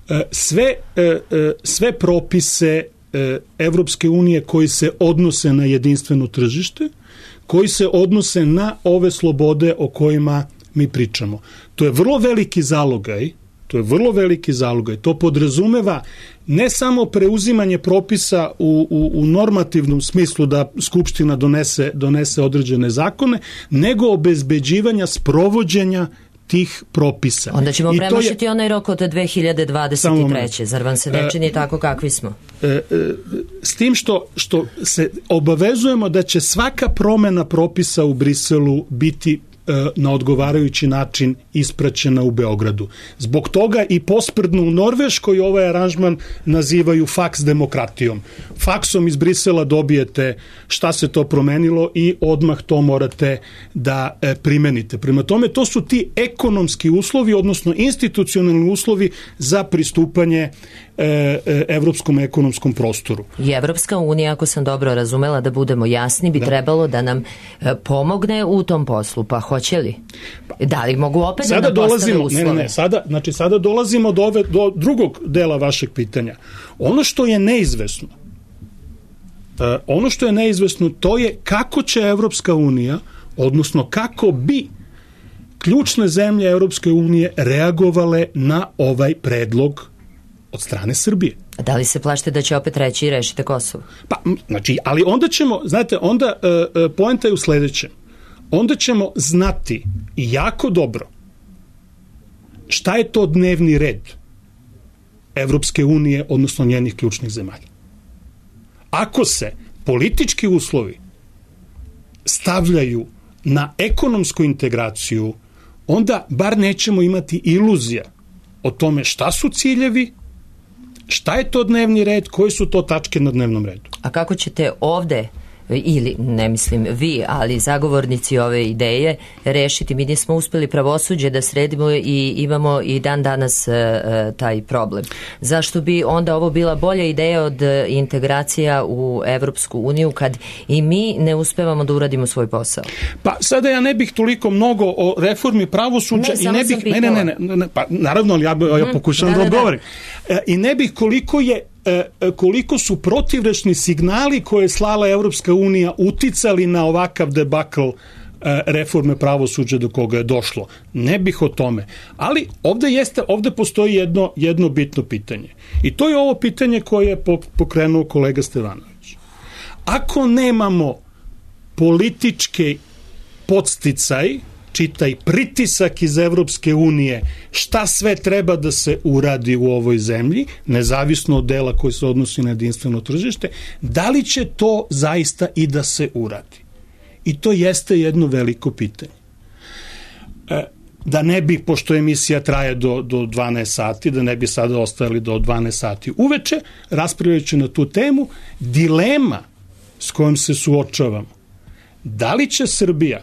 e, sve, e, sve propise e, Evropske unije koji se odnose na jedinstveno tržište, koji se odnose na ove slobode o kojima mi pričamo. To je vrlo veliki zalogaj, to je vrlo veliki zalogaj. To podrazumeva ne samo preuzimanje propisa u, u, u normativnom smislu da Skupština donese, donese određene zakone, nego obezbeđivanja sprovođenja tih propisa. Onda ćemo I premašiti je, onaj rok od dve hiljade dvadeset treće. Zar vam se ne čini e, tako kakvi smo? E, e, s tim što, što se obavezujemo da će svaka promena propisa u Briselu biti na odgovarajući način ispraćena u Beogradu. Zbog toga i posprdno u Norveškoj ovaj aranžman nazivaju faks demokratijom. Faksom iz Brisela dobijete šta se to promenilo i odmah to morate da primenite. Prema tome, to su ti ekonomski uslovi, odnosno institucionalni uslovi za pristupanje evropskom ekonomskom prostoru. I Evropska unija, ako sam dobro razumela, da budemo jasni, bi da. trebalo da nam pomogne u tom poslu. Pa hoće li? Da li mogu opet sada da nam postave uslove? Ne, ne, sada, znači sada dolazimo do, ove, do drugog dela vašeg pitanja. Ono što je neizvesno, uh, ono što je neizvesno, to je kako će Evropska unija, odnosno kako bi ključne zemlje Evropske unije reagovale na ovaj predlog od strane Srbije. Da li se plašite da će opet reći i rešite Kosovo? Pa, znači, ali onda ćemo, znate, onda uh, poenta je u sledećem. Onda ćemo znati i jako dobro šta je to dnevni red Evropske unije, odnosno njenih ključnih zemalja. Ako se politički uslovi stavljaju na ekonomsku integraciju, onda bar nećemo imati iluzija o tome šta su ciljevi, šta je to dnevni red, koje su to tačke na dnevnom redu. A kako ćete ovde, ili ne mislim vi, ali zagovornici ove ideje, rešiti? Mi nismo uspeli pravosuđe da sredimo i imamo i dan danas e, taj problem. Zašto bi onda ovo bila bolja ideja od integracija u Evropsku uniju kad i mi ne uspevamo da uradimo svoj posao? Pa sada ja ne bih toliko mnogo o reformi pravosuđa ne, i ne bih ne, ne, ne, ne, ne, pa naravno ali ja, ja pokušavam hmm, da, da odgovorim. Da, da. I ne bih koliko je koliko su protivrečni signali koje je slala Evropska unija uticali na ovakav debakl reforme pravosuđa do koga je došlo. Ne bih o tome. Ali ovde, jeste, ovde postoji jedno, jedno bitno pitanje. I to je ovo pitanje koje je pokrenuo kolega Stevanović. Ako nemamo političke podsticaj, čitaj pritisak iz Evropske unije, šta sve treba da se uradi u ovoj zemlji, nezavisno od dela koji se odnosi na jedinstveno tržište, da li će to zaista i da se uradi? I to jeste jedno veliko pitanje. E, da ne bi, pošto emisija traje do, do dvanaest sati, da ne bi sada ostajali do dvanaest sati uveče, raspravljajući na tu temu, dilema s kojom se suočavamo, da li će Srbija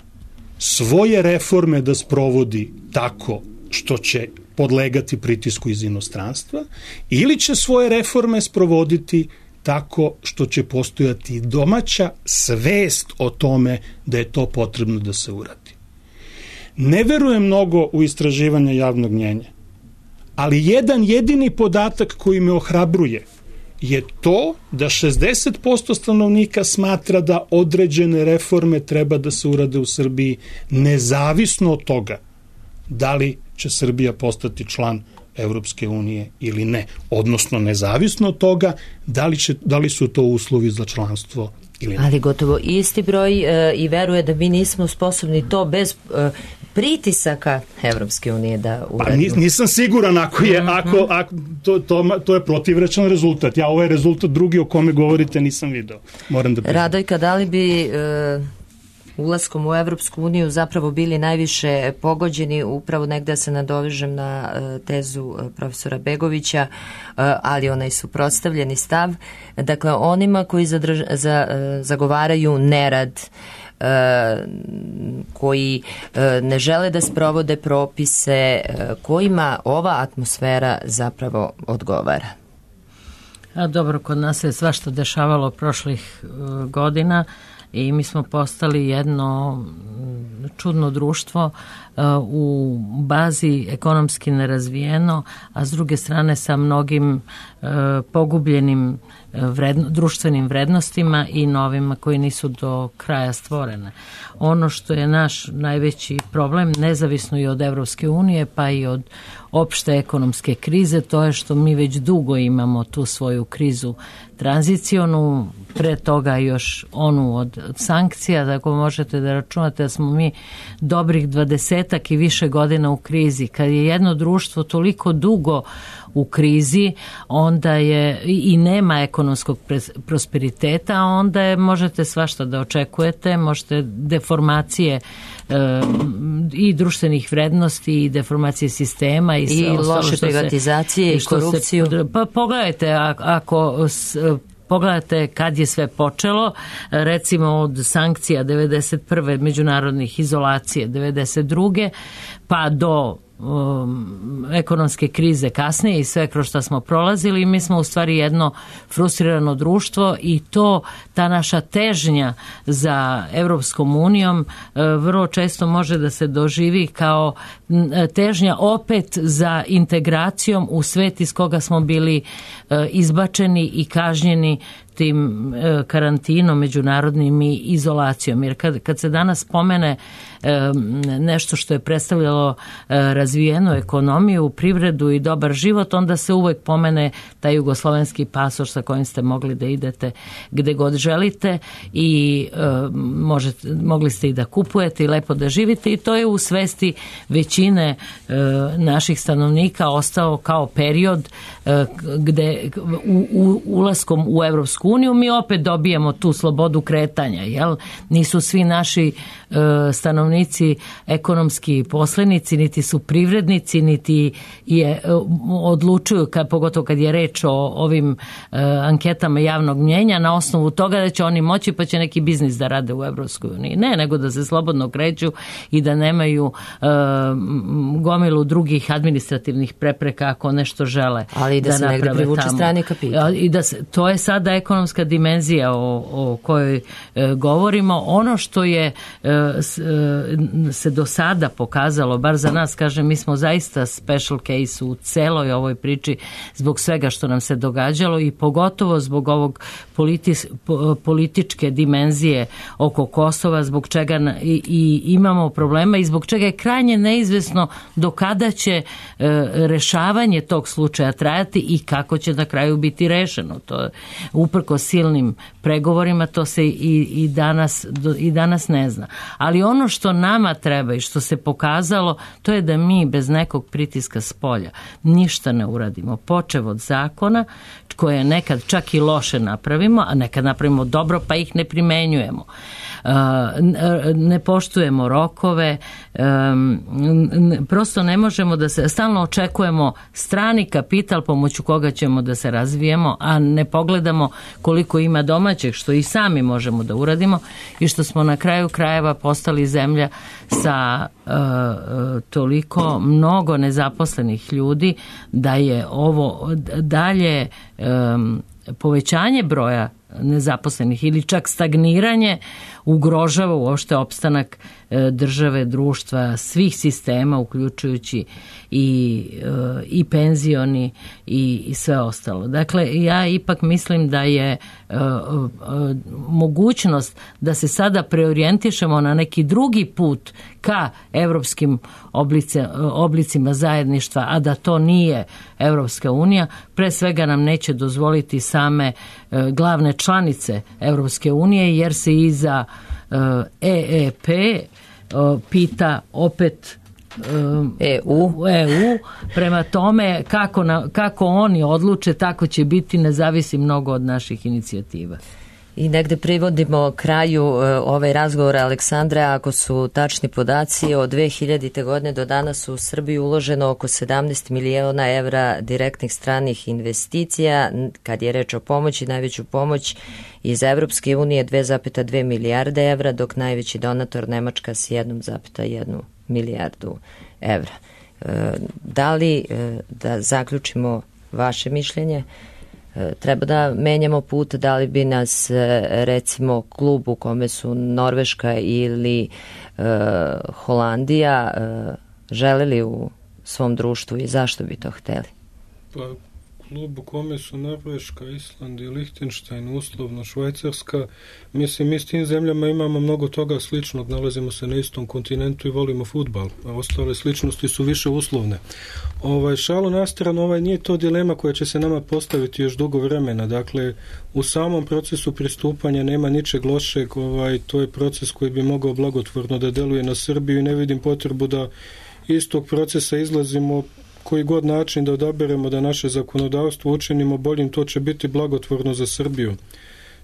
svoje reforme da sprovodi tako što će podlegati pritisku iz inostranstva ili će svoje reforme sprovoditi tako što će postojati domaća svest o tome da je to potrebno da se uradi. Ne verujem mnogo u istraživanje javnog mnjenja, ali jedan jedini podatak koji me ohrabruje je to da šezdeset posto stanovnika smatra da određene reforme treba da se urade u Srbiji nezavisno od toga da li će Srbija postati član Evropske unije ili ne. Odnosno nezavisno od toga da li, će, da li su to uslovi za članstvo ili ne. Ali gotovo isti broj e, i veruje da mi nismo sposobni to bez e, pritisaka Evropske unije da uradimo. Pa nisam siguran ako je, mm-hmm. ako, ako to, to, to je protivrečan rezultat. Ja ovaj rezultat drugi o kome govorite nisam video. Moram da priznam. Radojka, da li bi e, ulaskom u Evropsku uniju zapravo bili najviše pogođeni, upravo negde se nadovežem na e, tezu e, profesora Begovića, e, ali onaj suprotstavljeni stav, dakle onima koji zadrž, za, e, zagovaraju nerad, e, koji e, ne žele da sprovode propise, e, kojima ova atmosfera zapravo odgovara. A dobro, kod nas je svašta dešavalo prošlih e, godina i mi smo postali jedno čudno društvo uh, u bazi ekonomski nerazvijeno, a s druge strane sa mnogim uh, pogubljenim vredno, društvenim vrednostima i novima koji nisu do kraja stvorene. Ono što je naš najveći problem, nezavisno i od Evropske unije, pa i od opšte ekonomske krize, to je što mi već dugo imamo tu svoju krizu tranzicionu, pre toga još onu od sankcija, tako možete da računate da smo mi dobrih dvadesetak i više godina u krizi. Kad je jedno društvo toliko dugo u krizi, onda je i nema ekonomskog prosperiteta, onda je, možete svašta da očekujete, možete deformacije e, i društvenih vrednosti i deformacije sistema i, i loše privatizacije i korupciju. Se, pa pogledajte, ako s, pogledajte kad je sve počelo, recimo od sankcija devedeset prve međunarodnih izolacije devedeset druge pa do Um, ekonomske krize kasnije i sve kroz što smo prolazili, mi smo u stvari jedno frustrirano društvo i to, ta naša težnja za Evropskom unijom uh, vrlo često može da se doživi kao težnja opet za integracijom u svet iz koga smo bili uh, izbačeni i kažnjeni tim e, karantinom međunarodnim i izolacijom. Jer kad, kad se danas spomene e, nešto što je predstavljalo e, razvijenu ekonomiju, privredu i dobar život, onda se uvek pomene taj jugoslovenski pasoš sa kojim ste mogli da idete gde god želite i e, možete, mogli ste i da kupujete i lepo da živite i to je u svesti većine e, naših stanovnika ostao kao period e, gde u, u, ulaskom u Evropsku uniju mi opet dobijemo tu slobodu kretanja, jel? Nisu svi naši e, stanovnici ekonomski poslenici, niti su privrednici, niti je e, odlučuju, kad, pogotovo kad je reč o ovim e, anketama javnog mnjenja, na osnovu toga da će oni moći pa će neki biznis da rade u Evropskoj uniji. Ne, nego da se slobodno kreću i da nemaju e, gomilu drugih administrativnih prepreka ako nešto žele. Ali i da, da se negde privuče strani kapital. I da se, to je sada ekonomska dimenzija o, o kojoj e, govorimo. Ono što je e, s, e, se do sada pokazalo, bar za nas, kažem, mi smo zaista special case u celoj ovoj priči zbog svega što nam se događalo i pogotovo zbog ovog politis, po, političke dimenzije oko Kosova, zbog čega na, i, i imamo problema i zbog čega je krajnje neizvesno do kada će e, rešavanje tog slučaja trajati i kako će na kraju biti rešeno. To je uprko silnim pregovorima, to se i, i, danas, i danas ne zna. Ali ono što nama treba i što se pokazalo, to je da mi bez nekog pritiska spolja ništa ne uradimo. Počev od zakona, koje nekad čak i loše napravimo, a nekad napravimo dobro, pa ih ne primenjujemo. Ne poštujemo rokove, prosto ne možemo da se, stalno očekujemo strani kapital pomoću koga ćemo da se razvijemo, a ne pogledamo koliko ima domaćeg, što i sami možemo da uradimo i što smo na kraju krajeva postali zemlja sa uh, toliko mnogo nezaposlenih ljudi da je ovo dalje um, povećanje broja nezaposlenih ili čak stagniranje ugrožava uopšte opstanak države, društva, svih sistema, uključujući i, i penzioni i, i sve ostalo. Dakle, ja ipak mislim da je uh, uh, mogućnost da se sada preorijentišemo na neki drugi put ka evropskim oblice, oblicima zajedništva, a da to nije Evropska unija, pre svega nam neće dozvoliti same uh, glavne članice Evropske unije, jer se iza uh, E E P uh, pita opet E U. E U. Prema tome, kako, na, kako oni odluče, tako će biti, ne zavisi mnogo od naših inicijativa. I negde privodimo kraju ovaj razgovor, Aleksandre, ako su tačni podaci, od dve hiljadite. godine do danas u Srbiji uloženo oko sedamnaest miliona evra direktnih stranih investicija. Kad je reč o pomoći, najveću pomoć iz Evropske unije dve zarez dve milijarde evra, dok najveći donator Nemačka s jedna zarez jedna milijardu evra. Da li, da zaključimo vaše mišljenje, treba da menjamo put, da li bi nas recimo klub u kome su Norveška ili e, Holandija e, želeli u svom društvu i zašto bi to hteli? Pa, klub u kome su Norveška, Island i Lihtenštajn, uslovno Švajcarska. Mislim, mi s tim zemljama imamo mnogo toga sličnog, nalazimo se na istom kontinentu i volimo fudbal, a ostale sličnosti su više uslovne. Ovaj, šalu na stranu, ovaj, nije to dilema koja će se nama postaviti još dugo vremena. Dakle, u samom procesu pristupanja nema ničeg lošeg, ovaj, to je proces koji bi mogao blagotvorno da deluje na Srbiju i ne vidim potrebu da iz tog procesa izlazimo koji god način da odaberemo da naše zakonodavstvo učinimo boljim, to će biti blagotvorno za Srbiju.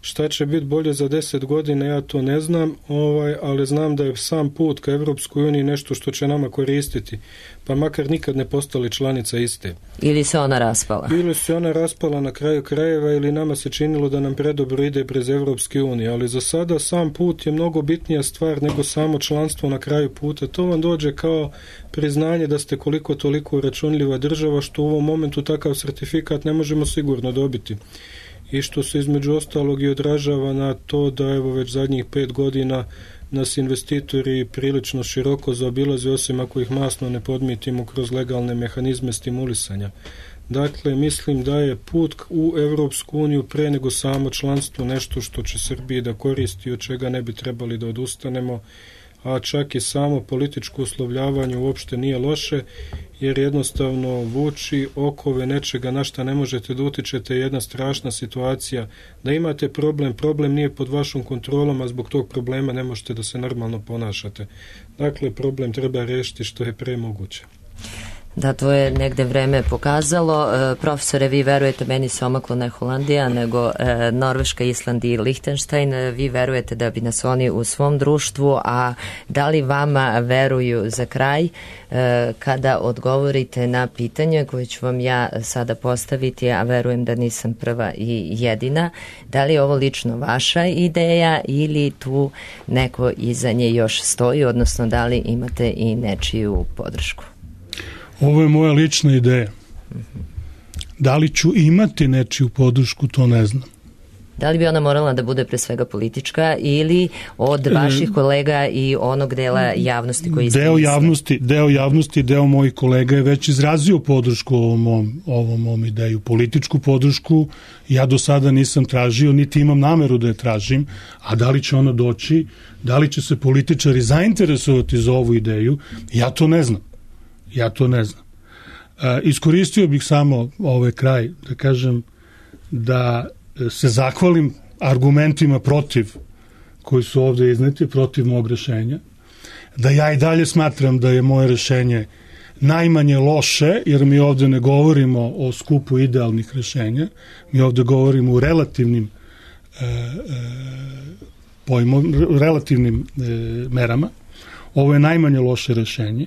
Šta će biti bolje za deset godina, ja to ne znam, ovaj, ali znam da je sam put ka Evropskoj uniji nešto što će nama koristiti, pa makar nikad ne postali članica iste. Ili se ona raspala. Ili se ona raspala na kraju krajeva, ili nama se činilo da nam predobro ide prez Evropske unije, ali za sada sam put je mnogo bitnija stvar nego samo članstvo na kraju puta. To vam dođe kao priznanje da ste koliko toliko uračunljiva država, što u ovom momentu takav sertifikat ne možemo sigurno dobiti. I što se između ostalog i odražava na to da evo već zadnjih pet godina nas investitori prilično široko zaobilaze, osim ako ih masno ne podmitimo kroz legalne mehanizme stimulisanja. Dakle, mislim da je put u Evropsku uniju pre nego samo članstvo nešto što će Srbiji da koristi, od čega ne bi trebali da odustanemo, a čak i samo političko uslovljavanje uopšte nije loše, jer jednostavno vuči okove nečega na šta ne možete da utičete, jedna strašna situacija. Da imate problem, problem nije pod vašom kontrolom, a zbog tog problema ne možete da se normalno ponašate. Dakle, problem treba rešiti što je pre moguće. Da, to je negde vreme pokazalo. E, profesore, vi verujete, meni se omaklo ne Holandija, nego e, Norveška, Island i Lihtenštajn. Vi verujete da bi nas oni u svom društvu, a da li vama veruju za kraj e, kada odgovorite na pitanje koje ću vam ja sada postaviti, a verujem da nisam prva i jedina. Da li je ovo lično vaša ideja ili tu neko iza nje još stoji, odnosno da li imate i nečiju podršku? Ovo je moja lična ideja. Da li ću imati nečiju podršku, to ne znam. Da li bi ona morala da bude pre svega politička ili od vaših kolega i onog dela javnosti koji ste deo javnosti, deo javnosti, deo mojih kolega je već izrazio podršku ovom mom, ovom mom ideju. Političku podršku ja do sada nisam tražio, niti imam nameru da je tražim, a da li će ona doći, da li će se političari zainteresovati za ovu ideju, ja to ne znam. Ja to ne znam. E, iskoristio bih samo ovaj kraj da kažem da se zahvalim argumentima protiv koji su ovde izneti, protiv mog rešenja, da ja i dalje smatram da je moje rešenje najmanje loše, jer mi ovde ne govorimo o skupu idealnih rešenja, mi ovde govorimo o relativnim e, e, pojmom, relativnim e, merama. Ovo je najmanje loše rešenje.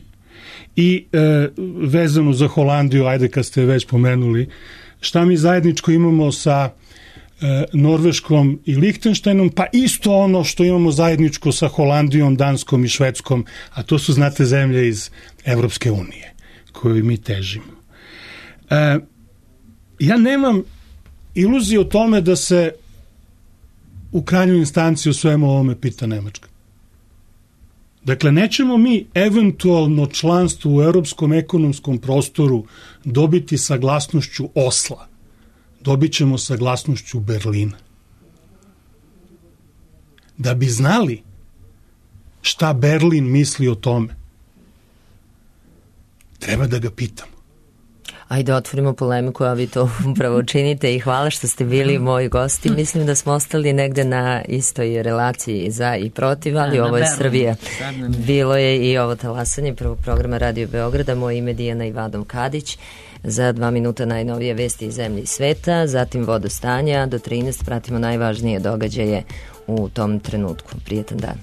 I e, vezano za Holandiju, ajde kad ste već pomenuli, šta mi zajedničko imamo sa e, Norveškom i Lihtenštajnom, pa isto ono što imamo zajedničko sa Holandijom, Danskom i Švedskom, a to su, znate, zemlje iz Evropske unije, koju mi težimo. E, ja nemam iluziju o tome da se u krajnjoj instanciji o svemu ovome pita Nemačka. Dakle, nećemo mi eventualno članstvo u Europskom ekonomskom prostoru dobiti saglasnošću Osla. Dobit ćemo saglasnošću Berlina. Da bi znali šta Berlin misli o tome, treba da ga pitamo. Ajde, otvorimo polemiku, a vi to upravo činite i hvala što ste bili moji gosti. Mislim da smo ostali negde na istoj relaciji za i protiv, ali ovo je Srbija. Bilo je i ovo talasanje prvog programa Radio Beograda. Moje ime je Dijana Ivadov Kadić. Za dva minuta najnovije vesti iz zemlje i sveta, zatim vodostanja. Do trinaest pratimo najvažnije događaje u tom trenutku. Prijetan dan.